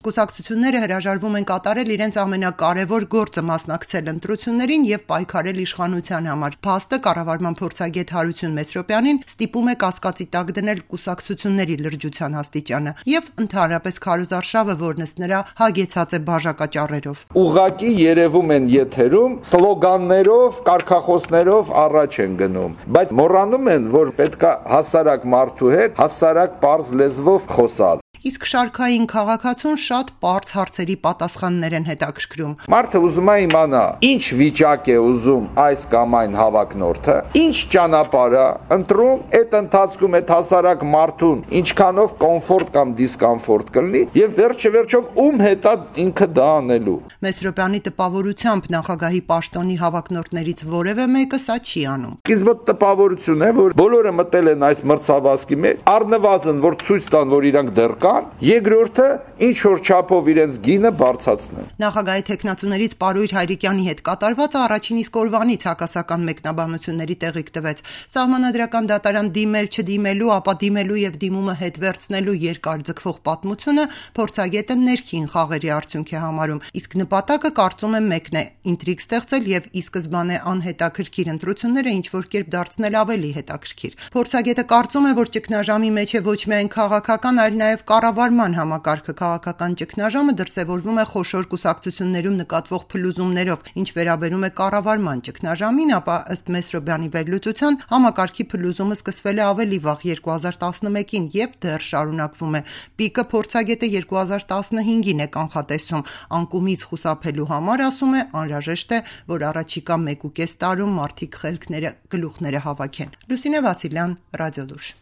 կուսակցությունները հրաժարվում են կատարել իրենց ամենակարևոր գործը մասնակցել ընտրություններին եւ պայքարել իշխանության համար։ Փաստը կառավարման փորձագետ Հարություն Մեսրոպյանին ստիպում է կասկածի տակ դնել կուսակցությունների լրջության աստիճանը եւ ընդհանրապես քարոզարշավը, որն ըստ նրա հագեցած է բաժակաճառերով։ Ուղղակի երևում են եթերում սլոգաններով, կարգախոսներով առաջ են գնում, բայց մոռանում են, որ պետք է հասարակ մարդու հետ հասարակ պարզ լեզվով խոսալ։ Իսկ շարքային քաղաքացուն շատ պարզ հարցերի պատասխաններ են հետաքրքրում։ Մարդը ուզում է իմանա, ինչ վիճակ է ուզում այս կամ այն հավակնորդը, ինչ ճանապարհ է ընտրում, այդ ընթացքում այդ հասարակ մարդուն ինչքանով կոմֆորտ կամ դիսկոմֆորտ կլինի եւ վերջով ում հետ է ինքը դա անելու։ Մեսրոպյանի տպավորությամբ նախագահի պաշտոնի հավակնորդներից որևէ մեկը սա չի անում։ Իսկ մոտ տպավորություն է, որ բոլորը մտել են այս մրցավազքի մեջ, առնվազն որ ցույց տան, որ իրանք դեռ երկրորդը ինչ որ չափով իրենց գինը բարձրացնեն։ Նախագահի տեխնացուներից Պարույր Հայրիկյանի հետ կատարվածը առաջին իսկ օրվանից հակասական մեկնաբանությունների տեղիք տվեց։ Սահմանադրական դատարան դիմել չդիմելու, ապա դիմելու եւ դիմումը հետ վերցնելու երկար ձգվող պատմությունը փորձագետը ներքին խաղերի արդյունք է համարում, իսկ նպատակը կարծում եմ մեկն է՝ ինտրիգ ստեղծել եւ ի սկզբանե անհետաքրքիր ընտրությունները ինչ որ կերպ դարձնել ավելի հետաքրքիր։ Փորձագետը կարծում է, որ ճգնաժամի մեջ է ոչ միայն քաղաքական, այլ նաեւ կառավարման համակարգը։ Քաղաքական ճգնաժամը դրսևորվում է խոշոր կուսակցություններում նկատվող փլուզումներով, ինչ վերաբերում է կառավարման ճգնաժամին, ապա ըստ Մեսրոպյանի վերլուծության համակարգի փլուզումը սկսվել է ավելի վաղ 2011-ին եւ դեռ շարունակվում է։ Պիկը փորձագետը 2015-ին է կանխատեսում։ Անկումից խուսափելու համար, ասում է, անհրաժեշտ է, որ առաջիկա 1.5 տարում մարդիկ խելքները գլուխները հավաքեն։ Լուսինե Վասիլյան, Ռադիոլուր։